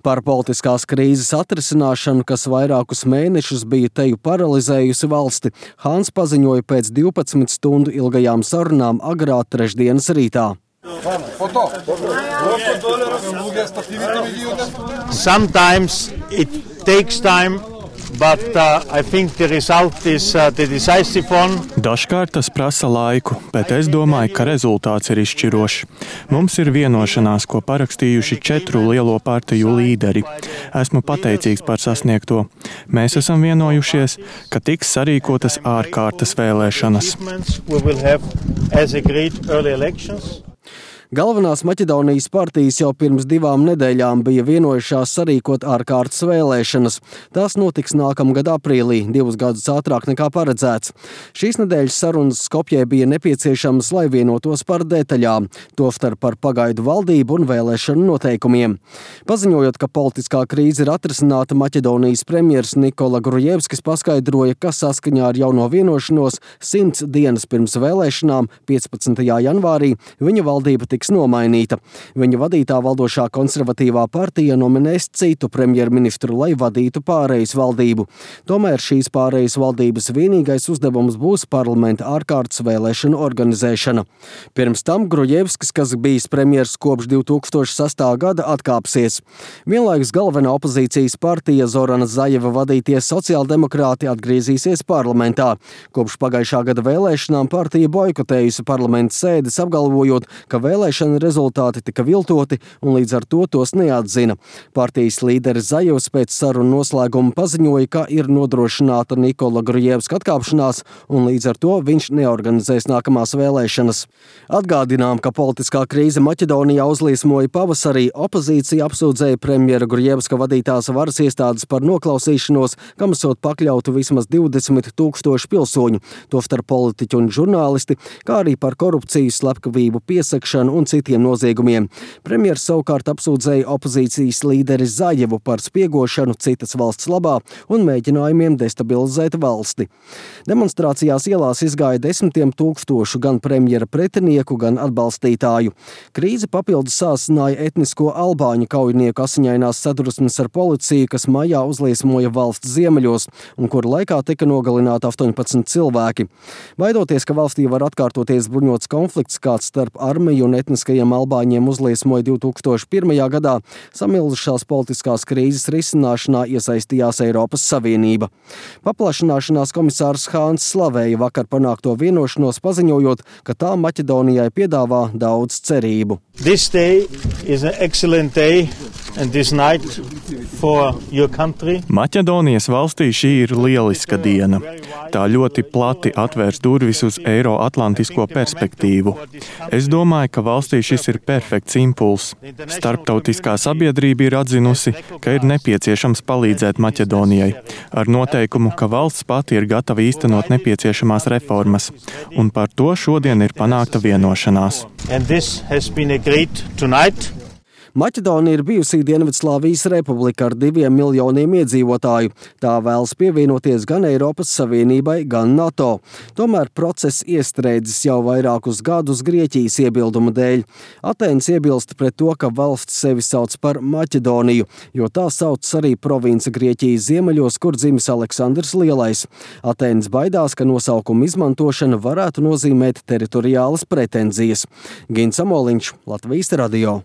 Par politiskās krīzes atrisināšanu, kas vairākus mēnešus bija teju paralizējusi valsti, Hāns paziņoja pēc 12 stundu ilgajām sarunām agrā trešdienas rītā. Sometimes it takes time, but I think the result is the decisive one. Dažkārt tas prasa laiku, bet es domāju, ka rezultāts ir izšķirošs. Mums ir vienošanās, ko parakstījuši 4 lielo partiju līderi. Esmu pateicīgs par sasniegto. Mēs esam vienojušies, ka tiks sarīkotas ārkārtas vēlēšanas. Galvenās Maķedonijas partijas jau pirms 2 nedēļām bija vienojušās sarīkot ārkārtas vēlēšanas. Tās notiks nākamgad aprīlī, 2 gadus ātrāk nekā paredzēts. Šīs nedēļas sarunas Skopjē bija nepieciešamas, lai vienotos par detaļām, tostarp par pagaidu valdību un vēlēšanu noteikumiem. Paziņojot, ka politiskā krīze ir atrisināta, Maķedonijas premjers Nikola Grujevskis paskaidroja, ka saskaņā ar jauno vienošanos 100 dienas pirms vēlēšanām, 15. janvārī, viņa valdība tiks nomainīta. Viņa vadītā valdošā konservatīvā partija nominēs citu premjerministru, lai vadītu pārejas valdību. Tomēr šīs pārejas valdības vienīgais uzdevums būs parlamenta ārkārtas vēlēšanu organizēšana. Pirms tam Grujevskis, kas bijis premjers kopš 2006. gada, atkāpsies. Vienlaikus galvenā opozīcijas partija Zorana Zajeva vadītie sociāldemokrāti atgriezīsies parlamentā. Kopš pagājušā gada vēlēšanām partija boikotējusi parlamenta sēdes, apgalvojot, ka vēlēšana rezultāti tika viltoti un līdz ar to tos neatzina. Partijas līderis Zajevs pēc sarunu noslēguma paziņoja, ka ir nodrošināta Nikola Grujevska atkāpšanās un līdz ar to viņš neorganizēs nākamās vēlēšanas. Atgādinām, ka politiskā krīze Maķedonijā uzliesmoja pavasarī. Opozīcija apsūdzēja premjera Grujevska vadītās varas iestādes par noklausīšanos, kam esot pakļautu vismaz 20 000 pilsoņu, tostarp politiķi un žurnālisti, kā arī par korupciju, slepkavību, piesakšanu un citiem noziegumiem. Premjers savukārt apsūdzēja opozīcijas līderi Zajevu par spiegošanu citas valsts labā un mēģinājumiem destabilizēt valsti. Demonstrācijās ielās izgāja 10 000 gan premjera pretinieku, gan atbalstītāju. Krīze papildus sāsināja etnisko albāņu kaujinieku asiņainās sadursmes ar policiju, kas maijā uzliesmoja valsts ziemeļos un kura laikā tika nogalināti 18 cilvēki. Baidoties, ka valstī var atkārtoties bruņots konflikts, kāds starp armiju un etniskajiem albāņiem uzliesmoja 2001. gadā, samilzušās politiskās krīzes risināšanā iesaistījās Eiropas Savienība. Paplašināšanās komisārs Hāns slavēja vakar panākto vienošanos, paziņojot, ka tā Maķedonijai piedāvā daudz cerību. This day is an excellent day and this night for your country. Maķedonijas valstī šī ir lieliska diena. Tā ļoti plati atvērs durvis uz Eiroatlantisko perspektīvu. Es domāju, ka valstī šis ir perfekts impulss. Starptautiskā sabiedrība ir atzinusi, ka ir nepieciešams palīdzēt Maķedonijai, ar noteikumu, ka valsts pati ir gatava īstenot nepieciešamās reformas, un par to šodien ir panākta vienošanās. Maķedonija ir bijusī Dienvidslāvijas republika ar 2 miljoniem iedzīvotāju. Tā vēlas pievienoties gan Eiropas Savienībai, gan NATO. Tomēr process iestrēdzis jau vairākus gadus Grieķijas iebildumu dēļ. Atēnas iebilst pret to, ka valsts sevi sauc par Maķedoniju, jo tā sauc arī province Grieķijas ziemeļos, kur dzimis Aleksandrs Lielais. Atēnas baidās, ka nosaukuma izmantošana varētu nozīmēt teritoriālas pretenzijas. Gins Amoliņš, Latvijas radio.